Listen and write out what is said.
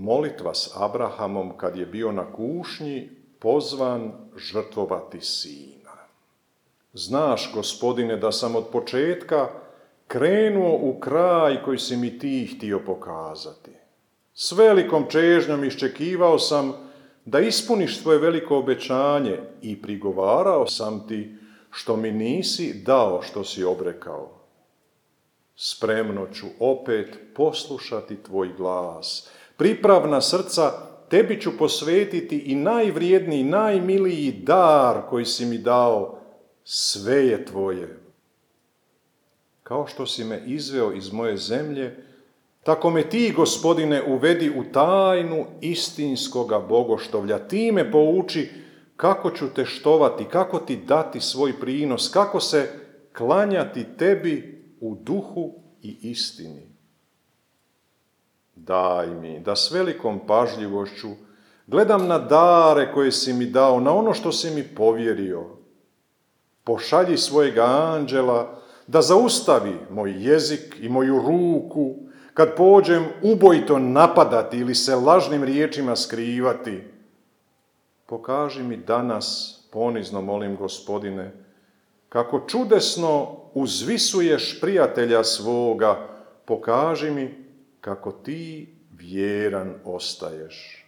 molitva s Abrahamom kad je bio na kušnji pozvan žrtvovati sina. Znaš, Gospodine, da sam od početka krenuo u kraj koji si mi ti htio pokazati. S velikom čežnjom iščekivao sam da ispuniš tvoje veliko obećanje i prigovarao sam ti što mi nisi dao što si obrekao. Spremno ću opet poslušati tvoj glas. Pripravna srca tebi ću posvetiti i najvrijedniji, najmiliji dar koji si mi dao, sve je tvoje. Kao što si me izveo iz moje zemlje, tako me ti, Gospodine, uvedi u tajnu istinskoga bogoštovlja. Ti me pouči kako ću te štovati, kako ti dati svoj prinos, kako se klanjati tebi u duhu i istini. Daj mi da s velikom pažljivošću gledam na dare koje si mi dao, na ono što si mi povjerio. Pošalji svojega anđela da zaustavi moj jezik i moju ruku kad pođem ubojito napadati ili se lažnim riječima skrivati. Pokaži mi danas, ponizno molim, Gospodine, kako čudesno uzvisuješ prijatelja svoga, pokaži mi kako ti vjeran ostaješ.